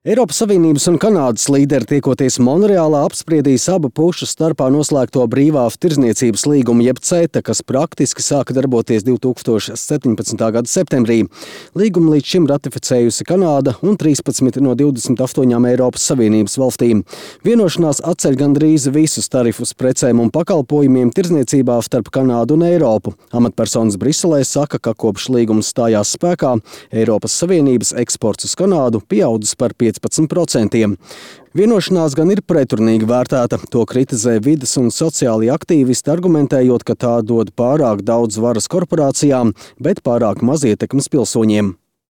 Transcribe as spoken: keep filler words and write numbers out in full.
Eiropas Savienības un Kanādas līderi tiekoties Monreālā apspriedīs abu pušu starpā noslēgto brīvā tirdzniecības līgumu jeb CETA, kas praktiski sāka darboties divi tūkstoši septiņpadsmitā gada septembrī. Līgumu līdz šim ratificējusi Kanāda un trīspadsmit no divdesmit astoņām Eiropas Savienības valstīm. Vienošanās atceļ gandrīz visus tarifus precēm un pakalpojumiem tirdzniecībā starp Kanādu un Eiropu. Amatpersonas Briselē saka, ka kopš līgums stājās spēkā, Eiropas Savienības eksports uz Kanādu pieaudzis par piecpadsmit procentiem. Vienošanās gan ir pretrunīgi vērtēta. To kritizē vides un sociāli aktīvisti, argumentējot, ka tā dod pārāk daudz varas korporācijām, bet pārāk maz ietekmes pilsoņiem.